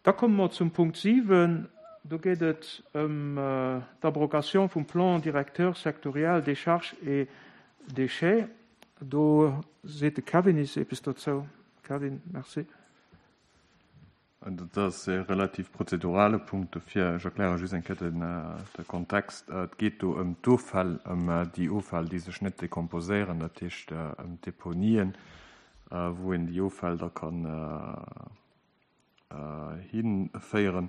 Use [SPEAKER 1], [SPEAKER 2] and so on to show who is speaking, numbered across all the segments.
[SPEAKER 1] Da komme mer zum Punkt 7. Do geet et ëm d'Abrogation vum Plan directeur sectoriel Décharges et déchets. Do seet de Kevin is eppes dozou. Kevin, merci.
[SPEAKER 2] Dat ass e relativ prozedurale Punkt, dofir ech erkläre just eng Kéier de Kontext. Et geet do ëm d'Offäll, ëm déi Offäll, déi sech net dekomposéieren, dat heescht ëm d'Deponien, wou een déi Offäll da kann hinféieren.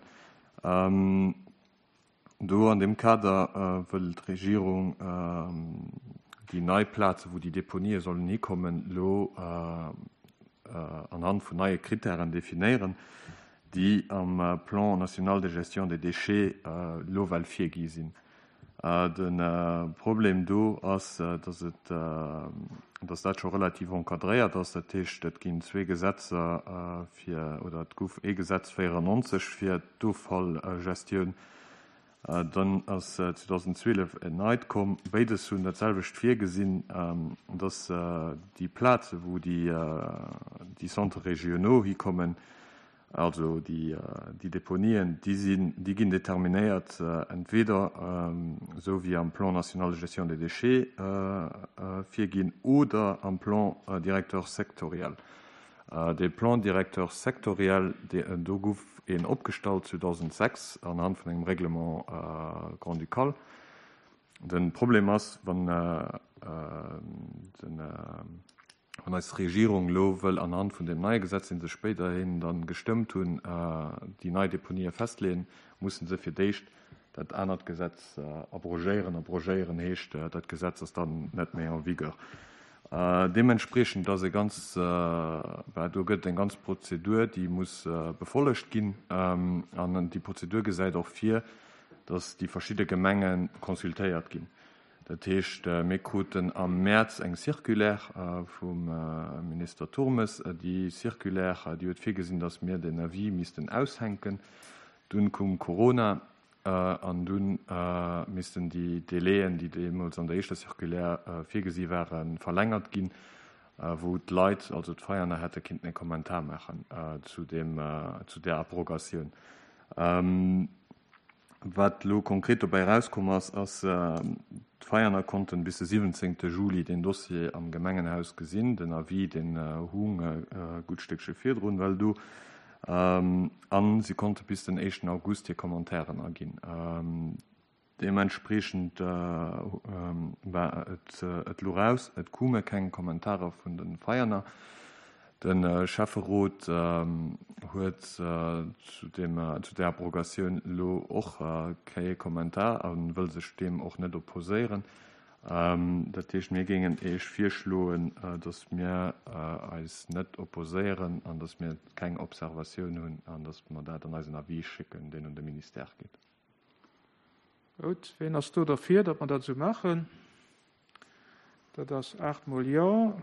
[SPEAKER 2] Do an deem Kader wëll d'Regierung déi nei Plaze wou déi Deponië sollen hikommen, elo anhand vun neie Krittären definéieren, déi am Plan national de gestion des déchets elo well virgi sinn. De Problem do ass, dass et, dass dat scho relativ encadréiert ass. Dat heescht, et ginn zwee Gesetzer fir, oder et gouf ee Gesetz 94 fir d'Offallgestioun, dann ass 2012 en neit komm. Béides hunn dat selwecht virgesinn, dass déi Plaze wou déi Centres régionaux hikommen, Also déi Deponien, déi sinn, déi ginn determinéiert entweder esou wéi am Plan national de gestion des déchets virginn oder am Plan directeur sectoriel. Dee Plan directeur sectoriel, do gouf een opgestallt 2006 anhand vun engem Règlement grand-ducal. De Problem ass, wann den, Wann eis Regierung elo wëll anhand vun deem neie Gesetz, dee se spéiderhin da gestëmmt hunn, déi nei Deponië festleeën, musse se fir d'éischt dat anert Gesetz abrogéieren. Abrogéieren heescht, dat Gesetz ass dann net méi en vigueur. Deementspriechend ass e ganz, bah, do gëtt et eng ganz Prozedur, déi muss befollegt ginn. An déi Prozedur gesäit och vir, dass déi verschidde Gemenge consultéiert ginn. Dat heescht, mir kruten am Mäerz eng Circulaire vum Minister Turmes. Déi Circulaire, déi huet virgesinn, datt mir den Avis missten aushänken. Dunn koum Corona an dunn missten déi Délaiën, déi deemools an der éischter Circulaire virgesi waren, verlängert ginn, wou d'Leit, also d'Veianer, hätte kinnten e Kommentar maachen zu deem, zu där Abrogatioun. Wat elo konkret dobäi erauskomm ass, ass, d'Veianer konnten bis de 17 Juli deen Dossier am Gemengenhaus gesinn. Den Avis, deen hung e gutt Stéckche virdrun well do. A si konnte bis den éischten August hir Commentairen aginn. Deementspriechend war et elo raus, et koume keng Kommentarer vun de Veianer. De Schäfferot huet zu där Abrogatioun elo och kee Kommentar a wëll sech deem och net opposéieren. Dat heescht, mir géingen Iech virschloen, datt mir eis net opposéieren an datt mir keng Observatioun hunn an datt mer dat an eisen Avis schécken, deen un de Ministère geet.
[SPEAKER 1] Gutt, ween ass do derfir, datt mer dat esou maachen? Dat ass aachtmol Jo.